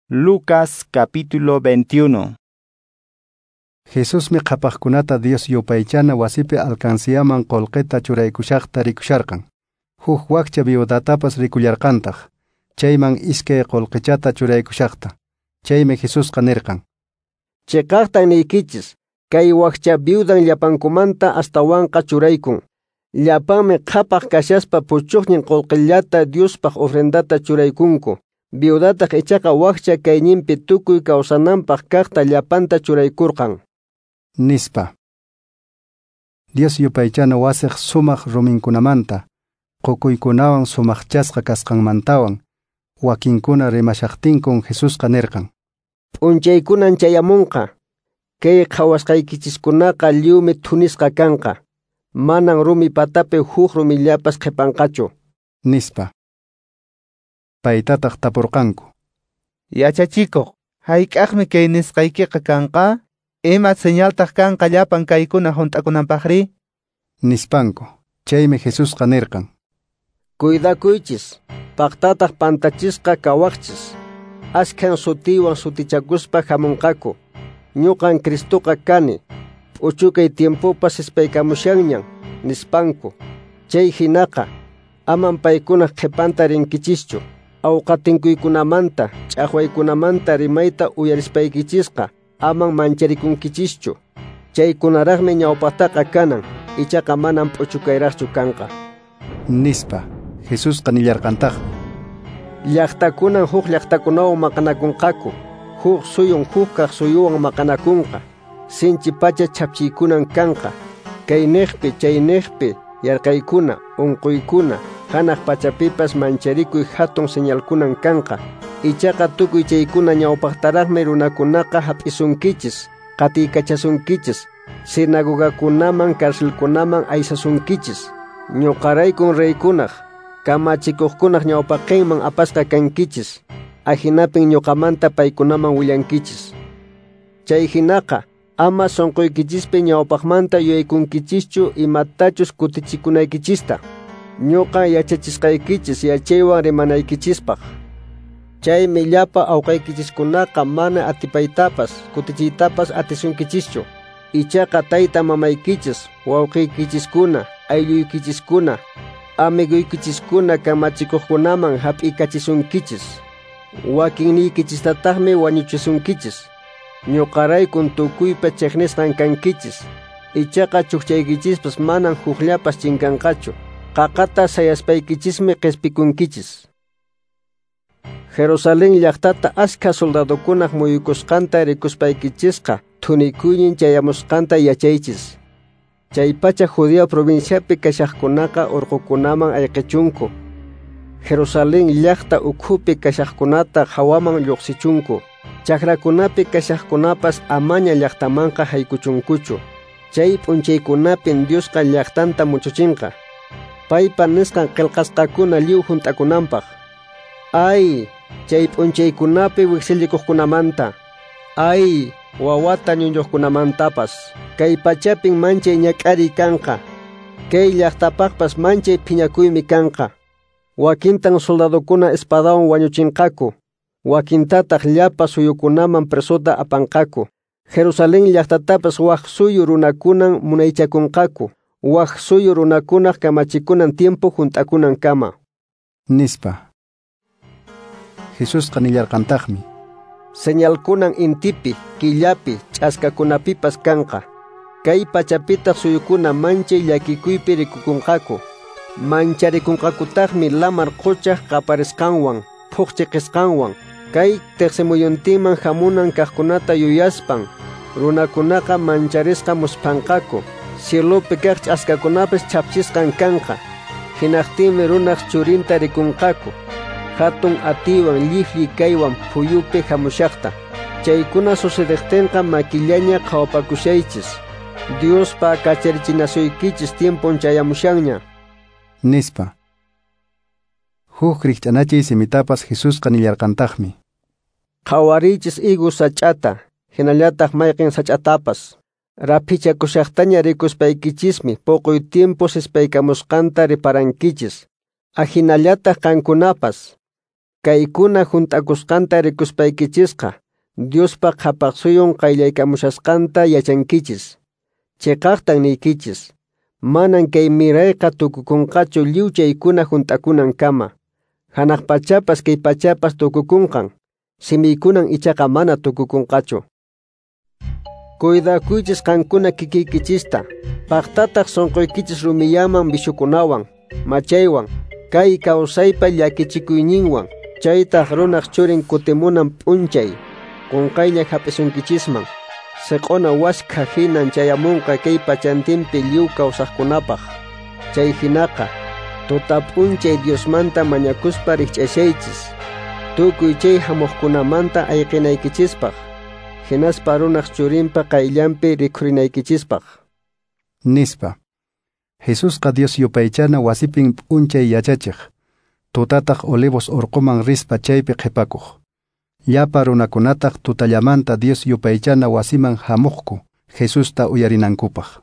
Lucas capítulo 21. Jesusmi qhapaqkunata Dios yupaychana wasipi alcanciaman qolqeta churaykushaqta rikusharqan. Huk wakcha viudatapas rikullarqantaq, chayman iskay qolqechata churaykushaqta. Chaymi Jesusqa nirqan: Cheqaqtan niykichis, kay wakcha viudan llapankumanta astawanqa churaykun. Llapanmi qhapaq kashaspa puchuqnin qolqellata Diospaq ofrendata churaykunku. Viudataq ichaqa wakcha kayninpi tukuy kawsananpaq kaqta llapanta churaykurqan. Nispa. Dios yupaychana wasiq sumaq ruminkunamanta, qukuykunawan sumaqchasqa kasqanmantawan, wakinkuna rimashaqtinkun Jesusqa nirqan: P'unchaykunan chayamunqa, kay qhawasqaykichiskunaqa lliwmi thunisqa kanqa, manan rumi patapi huk rumillapas qhipanqachu. Nispa. Paytataq tapurqanku: Yachachikuq, hayk'aqmi kay nisqaykiqa kanqa? Ima señaltaq kanqa llapan kaykuna hunt'akunanpaqri? Nispanku. Chaymi Jesusqa nirqan: Cuidakuychis, paqtataq pantachisqa kawaqchis. Askhan sutiwan sutichakuspa hamunqaku. Ñuqan Cristoqa kani, p'uchukay tiempopas ispaykamushanñan, nispanku. Chay hinaqa, aman paykunaq qhipanta rinkichischu. Awqatinkuykunamanta, ch'aqwaykunamanta rimayta uyarispaykichisqa, aman mancharikunkichischu. Chaykunaraqmi ñawpaqtaqa kanan, ichaqa manan p'uchukayraqchu kanqa. Nispa. Jesusqa nillarqantaqmi: Llaqtakunan huk llaqtakunawan maqanakunqaku, huk suyun huk kaq suyuwan maqanakunqa, sinchi pacha chhapchiykunan kanqa, kayniqpi chayniqpi yarqaykuna, unquykuna, hanaq pachapipas mancharikuy hatun señalkunan kanqa. Ichaqa tukuy chaykuna ñawpaqtaraqmi runakunaqa hap'isunkichis, qatiykachasunkichis, sinagogakunaman, carcelkunaman aysasunkichis. Ñuqaraykun reykunaq, kamachikuqkunaq ñawpaqinman apasqa kankichis, ahinapin ñuqamanta paykunaman willankichis. Chay hinaqa, ama sunquykichispi ñawpaqmanta yuyaykunkichischu imatachus kutichikunaykichista. Ñuqa yachachisqaykichis yachaywan rimanaykichispaq. Chaymi llapa awqaykichiskunaqa mana atipaytapas, kutichiytapas atisunkichischu. Ichaqa tayta mamaykichis, wawqiykichiskuna, aylluykichiskuna, amiguykichiskuna kamachikuqkunaman hap'ikachisunkichis. Wakinniykichistataqmi wañuchisunkichis. Ñuqaraykun tukuypa chiqnisqan kankichis. Ichaqa chukchaykichispas manan hukllapas chinkanqachu. Qaqata sayaspaykichismi qispikunkichis. Jerusalén llaqtata askha soldadokunaq muyukusqanta rikuspaykichisqa thunikuynin chayamusqanta yachaychis. Chaypacha Judea provinciapi kashaqkunaqa urqukunaman ayqichunku. Jerusalén llaqta ukhupi kashaqkunata hawaman lluqsichunku. Chakrakunapi kashaqkunapas amaña llaqtamanqa haykuchunkuchu. Chay p'unchaykunapin Diosqa llaqtanta muchuchinqa. Paypa nisqan qillqasqakuna lliw hunt'akunanpaq. Ay, chay p'unchaykunapi wiksillikuqkunamanta. Ay, wawata ñuñuqkunamantapas. Kay pachapin manchay ñak'ariy kanqa. Kay llaqtapaqpas manchay phiñakuymi kanqa. Wakintan soldadokuna espadawan wañuchinqaku. Wakintataq llapa suyukunaman presota apanqaku. Jerusalén llaqtatapas wak suyu runakunan munaychakunqaku. Wak suyu runakunaq kamachikunan tiempo hunt'akunan kama. Nispa. Jesusqa nillarqantaqmi: Señalkunan intipi, killapi, ch'askakunapipas kanqa. Kay pachapitaq suyukuna manchay llakikuypi rikukunqaku. Mancharikunqakutaqmi lamar quchaq qaparisqanwan, phuqchiqisqanwan. Kay tiqsimuyuntinman hamunan kaqkunata yuyaspan, runakunaqa mancharisqa musphanqaku. Cielopi kaq ch'askakunapas chhapchisqan kanqa. Hinaqtinmi runaq churinta rikunqaku. Hatun atiwan lliflli kaywan phuyupi hamushaqta. Chaykuna sucedejtinqa makillaña qhawapakushaychis. Diospa kacharichinasuykichis tiempon chayamushanña. Nispa. Huk rikch'anachiy simitapas Jesusqa nillarqantaqmi: Qhawariychis higo sach'ata, hinallataq mayqin sach'atapas. Raphichakushaqtaña rikuspaykichismi puquy tiempo sispaykamusqanta riparankichis. Ahinallataq qankunapas. Kaykuna hunt'akusqanta rikuspaykichisqa, Diospa qhapaqsuyun qayllaykamushasqanta yachankichis. Cheqaqtan niykichis, manan kay mirayqa tukukunqachu lliw chaykuna hunt'akunankama. Hanaq pachapas kay pachapas tukukunqan, simiykunan ichaqa mana tukukunqachu. Cuidakuychis qankuna kikiykichista, paqtataq sunquykichis rumiyaman vishukunawan, machaywan, kay kawsaypa llakichikuyninwan, chaytaq runaq churin kutimunan p'unchay, qunqaylla hap'isunkichisman. Siq'una waskha hinan chayamunqa kay pachantinpi lliw kawsaqkunapaq. Chay hinaqa, tuta p'unchay Diosmanta mañakuspa rikch'ashaychis, tukuy chay hamuqkunamanta ayqinaykichispaq, hinaspa runaq churinpa qayllanpi rikhurinaykichispaq. Nispa. Jesusqa Dios yupaychana wasipin p'unchay yachachiq, tutataq Olivos urquman rispa chaypi qhipakuq. Llapa runakunataq tutallamanta Dios yupaychana wasiman hamuqku Jesusta uyarinankupaq.